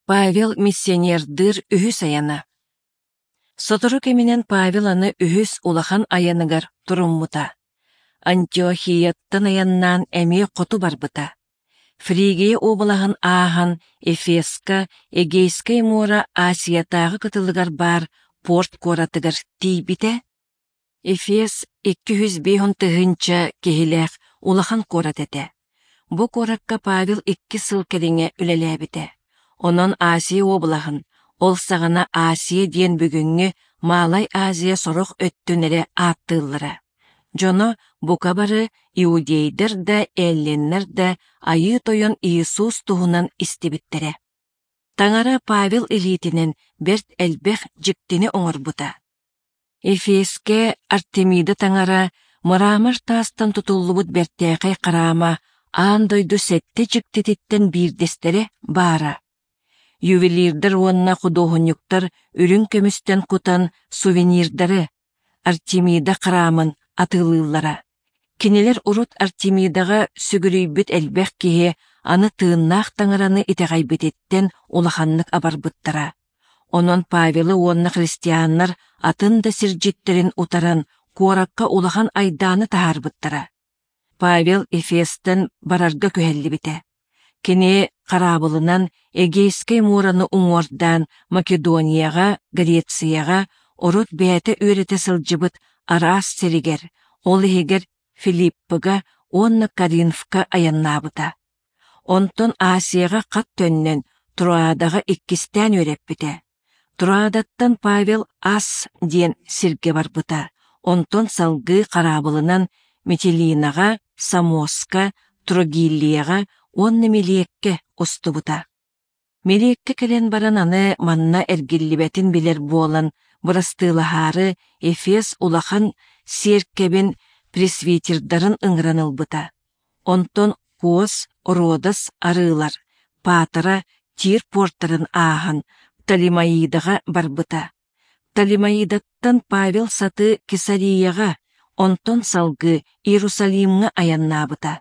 Павел миссионердыыр үһүс айана. Сотору кэминэн Павел аны үһүс улахан айаныгар туруммута. Антиохияттан айаннаан эмиэ хоту барбыта. Фригия уобалаһын ааһан Эфеска Эгейскэй муора Асиятааҕы кытылыгар баар порт куоратыгар тиийбитэ. Эфес 250 тыһыынча киһилээх улахан куорат этэ. Бу куоракка Павел икки сыл кэриҥэ үлэлээбитэ. Онон Азия уобалаһын, ол саҕана Азия диэн бүгүҥҥү Малай Азия сорох өттүн эрэ ааттыыллара. Дьоно бука бары иудейдар да, эллиннэр да Айыы Тойон Иисус туһунан истибиттэрэ. Таҥара Павел илиитинэн бэрт элбэх дьиктини оҥорбута. Эфескэ Артемида таҥара мрамор таастан тутуллубут бэртээхэй хараама аан дойду сэттэ дьиктититтэн биирдэстэрэ баара. Ювелирдар уонна худуоһунньуктар үрүҥ көмүстэн кутан сувенирдары, Артемида храмын атыылыыллара. Кинилэр урут Артемидаҕа сүгүрүйбүт элбэх киһи аны тыыннаах таҥараны итэҕэйбититтэн улаханнык абарбыттара. Онон Павелы уонна христианнар атын да сирдьиттэрин утаран куоракка улахан айдааны таһаарбыттара. Павел Эфестэн барарга күһэллибитэ. Кини хараабылынан Эгейскэй муораны уҥуордаан Македонияҕа, Грецияҕа урут бэйэтэ үөрэтэ сылдьыбыт араас сиригэр, ол иһигэр Филиппыга уонна Коринфка айаннаабыта. Онтон Асияҕа хат төннөн Троадаҕа иккистээн үөрэппитэ. Троадаттан Павел Ас диэн сиргэ барбыта, онтон салгыы хараабылынан Метелинаҕа, Самоска, Трогиллияҕа уонна Милиэккэ устубута. Милиэккэ кэлэн баран аны манна эргиллибэтин билэр буолан бырастыылаһаары Эфес улахан сиэркэбин пресвитердарын ыҥыран ылбыта. Онтон Кос, Родос арыылар, Патара Тир пуортарын ааһан Птолемаидаҕа барбыта. Птолемаидаттан Павел сатыы Кесарияҕа, онтон салгыы Иерусалимҥа айаннаабыта.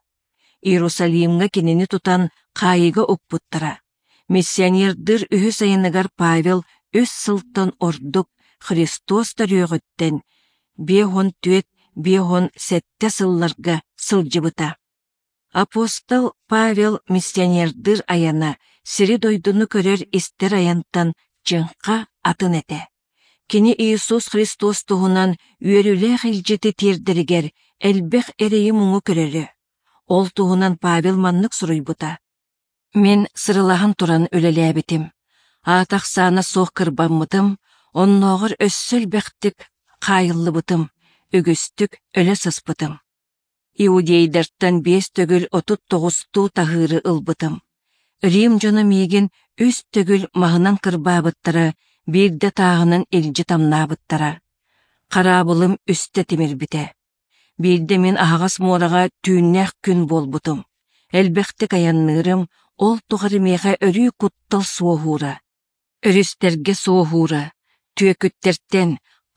Иерусалимҥа кинини тутан хаайыыга укпуттара. Миссионердыыр үһүс айаныгар Павел үс сылтан ордук Христос төрүөҕүттэн 54-57 сылларга сылдьыбыта. Апостол Павел миссионердыыр айана сири-дойдуну көрөр-истэр айантан чыҥха атын этэ. Кини Иисус Христос туһунан үөрүүлээх илдьити тиэрдэригэр элбэх эрэйи-муҥу көрөрө. Ол туһунан Павел маннык суруйбута: «Мин сырылаһан туран үлэлээбитим, аата ахсаана суох кырбаммытым, оннооҕор өссө элбэхтик хаайыллыбытым, үгүстүк өлө сыспытым. Иудейдартан биэс төгүл отут тоҕустуу таһыыры ылбытым. Рим дьоно миигин үс төгүл маһынан кырбаабыттара, биирдэ тааһынан илдьи тамнаабыттара. Хараабылым үстэ тимирбитэ. Биирдэ мин аһаҕас муораҕа түүннээх күн буолбутум. Элбэхтик айанныырым, ол тухары миэхэ өрүү куттал суоһуура. Өрүстэргэ суоһуура, түөкүттэртэн,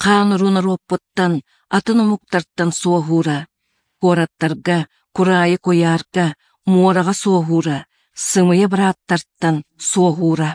хаан уруу норуоппуттан, атын омуктартан суоһуура, куораттарга, кураайы куйаарга, муораҕа суоһуура, сымыйа бырааттартан суоһуура.